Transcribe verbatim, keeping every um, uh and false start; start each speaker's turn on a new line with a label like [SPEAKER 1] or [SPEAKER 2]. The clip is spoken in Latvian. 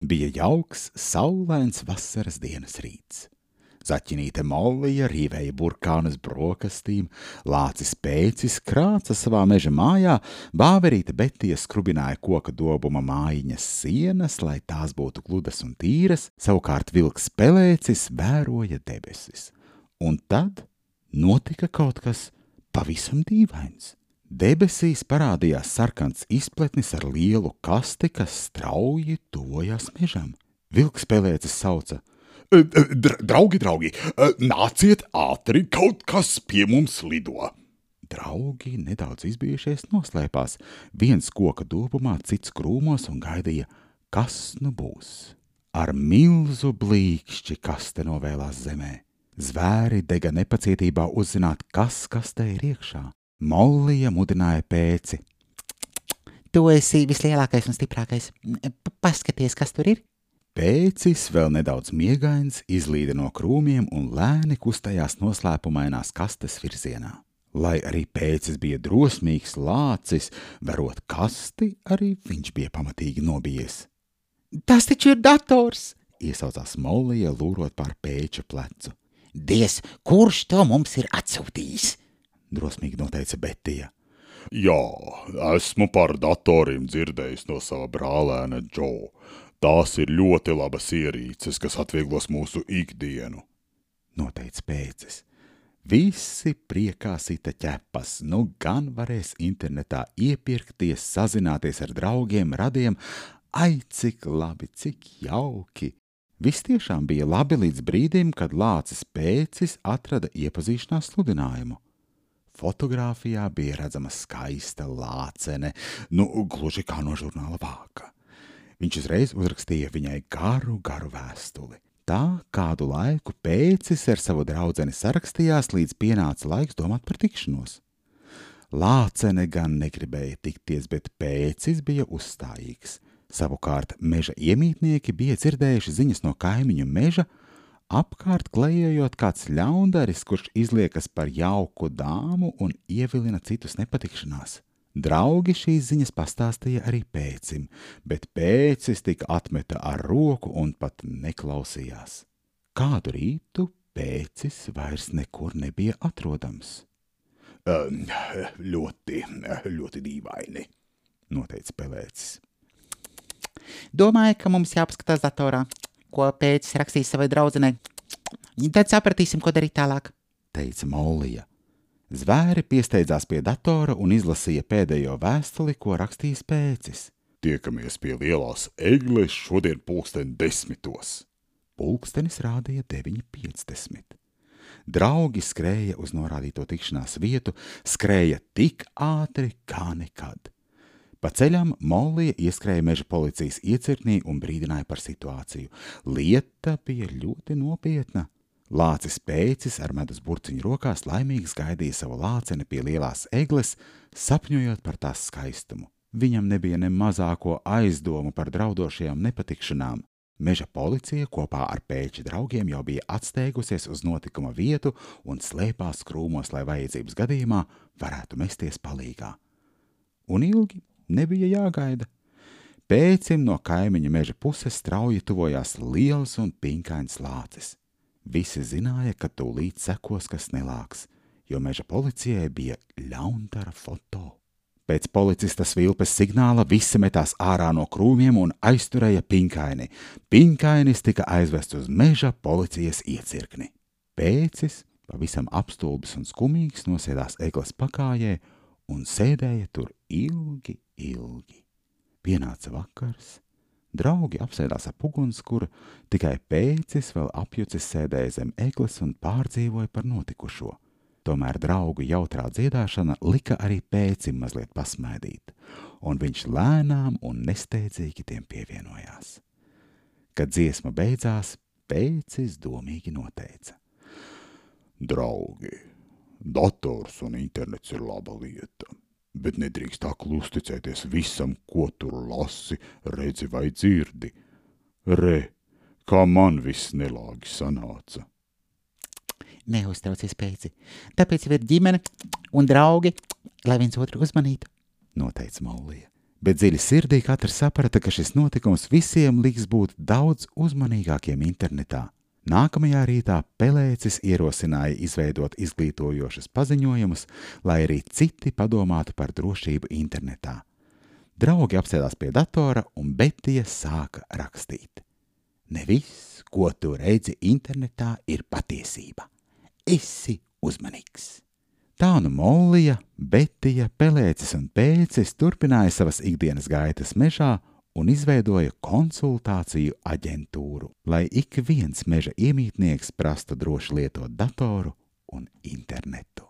[SPEAKER 1] Bija jauks, saulains vasaras dienas rīts. Zaķinīte Mollija rīvēja burkānus brokastīm, lācis Pēcis krāca savā meža mājā, bāverīte Betija skrubināja koka dobuma mājiņas sienas, lai tās būtu gludas un tīras, savukārt vilks Pelēcis vēroja debesis. Un tad notika kaut kas pavisam dīvains. Debesīs parādījās sarkans izpletnis ar lielu kasti, kas strauji tuvojās mežam. Vilks Pelēcis sauca: Draugi, draugi, nāciet ātri, kaut kas pie mums lido. Draugi nedaudz izbijušies noslēpās, viens koka dobumā, cits krūmos un gaidīja, kas nu būs. Ar milzu blīkšķi kaste novēlās zemē. Zvēri dega nepacietībā uzzināt, kas kastē ir iekšā. Mollija mudināja Pēci: Tu esi vislielākais un stiprākais. Paskaties, kas tur ir. Pēcis, vēl nedaudz miegains, izlīda no krūmiem un lēni kustējās noslēpumainās kastes virzienā. Lai arī Pēcis bija drosmīgs lācis, verot kasti, arī viņš bija pamatīgi nobijies. Tas taču ir dators, iesaucās Mollija, lūrot pār Pēča plecu. Diez, kurš to mums ir atsūtījis? Drosmīgi noteica Betija.
[SPEAKER 2] Jā, esmu par datoriem dzirdējis no sava brālēna Džo. Tās ir ļoti labas ierīces, kas atvieglos mūsu ikdienu,
[SPEAKER 1] noteica Pēcis. Visi priekā sita ķepas, nu gan varēs internetā iepirkties, sazināties ar draugiem, radiem. Ai, cik labi, cik jauki! Viss tiešām bija labi līdz brīdim, kad lācis Pēcis atrada iepazīšanās sludinājumu. Fotogrāfijā bija redzama skaista lācene, nu, gluži kā no žurnāla Vāka. Viņš uzreiz uzrakstīja viņai garu, garu vēstuli. Tā kādu laiku Pēcis ar savu draudzeni sarakstījās, līdz pienāca laiks domāt par tikšanos. Lācene gan negribēja tikties, bet Pēcis bija uzstājīgs. Savukārt meža iemītnieki bija dzirdējuši ziņas no kaimiņu meža, apkārt klejojot kāds ļaundaris, kurš izliekas par jauku dāmu un ievilina citus nepatikšanās. Draugi šīs ziņas pastāstīja arī Pēcim, bet Pēcis tika atmeta ar roku un pat neklausījās. Kādu rītu Pēcis vairs nekur nebija atrodams.
[SPEAKER 2] Um, ļoti, ļoti dīvaini, noteica Pelēcis.
[SPEAKER 3] Domāju, ka mums jāpaskatās datorā, ko Pēcis rakstīs savai draudzenei. Tad sapratīsim, ko darīt tālāk,
[SPEAKER 1] teica Mollija. Zvēri piesteidzās pie datora un izlasīja pēdējo vēstuli, ko rakstījis Pēcis.
[SPEAKER 2] Tiekamies pie lielās egles šodien pulksten desmitos.
[SPEAKER 1] Pulkstenis rādīja deviņi piecdesmit. Draugi skrēja uz norādīto tikšanās vietu, skrēja tik ātri kā nekad. Pa ceļam Mollija ieskrēja meža policijas iecirknī un brīdināja par situāciju. Lieta bija ļoti nopietna. Lācis Pēcis ar medus burciņu rokās laimīgs gaidīja savu lāceni pie lielās egles, sapņojot par tās skaistumu. Viņam nebija ne mazāko aizdomu par draudošajām nepatikšanām. Meža policija kopā ar Pēča draugiem jau bija atsteigusies uz notikuma vietu un slēpās krūmos, lai vajadzības gadījumā varētu mesties palīgā. Un ilgi nebija jāgaida. Pēcim no kaimiņa meža puses strauji tuvojās liels un pinkains lācis. Visi zināja, ka tūlīt sekos kas nelāks, jo meža policijai bija ļaundara foto. Pēc policista Svilpes signāla visi metās ārā no krūmiem un aizturēja Pinkaini. Pinkainis tika aizvests uz meža policijas iecirkni. Pēcis, pavisam apstulbis un skumīgs, nosēdās egles pakājē un sēdēja tur ilgi, ilgi. Pienāca vakars. Draugi apsēdās ap ugunskura, tikai Pēcis vēl apjucis sēdēja zem egles un pārdzīvoja par notikušo. Tomēr draugu jautrā dziedāšana lika arī Pēcim mazliet pasmaidīt, un viņš lēnām un nesteidzīgi tiem pievienojās. Kad dziesma beidzās, Pēcis domīgi noteica.
[SPEAKER 2] Draugi, dators un internets ir laba lieta. Bet nedrīkst tā uzticēties visam, ko tur lasi, redzi vai dzirdi. Re, kā man viss nelāgi sanāca.
[SPEAKER 3] Neuztraucies, Pēci, tāpēc ir ģimene un draugi, lai viens otru uzmanītu,
[SPEAKER 1] noteica Mollija. Bet dziļi sirdī katrs saprata, ka šis notikums visiem liks būt daudz uzmanīgākiem internetā. Nākamajā rītā Pelēcis ierosināja izveidot izglītojošas paziņojumus, lai arī citi padomātu par drošību internetā. Draugi apsēdās pie datora un Betija sāka rakstīt. Ne viss, ko tu redzi internetā, ir patiesība. Esi uzmanīgs. Tā nu Mollija, Betija, Pelēcis un Pēcis turpināja savas ikdienas gaitas mežā un izveidoja konsultāciju aģentūru, lai ik viens meža iemītnieks prastu droši lietot datoru un internetu.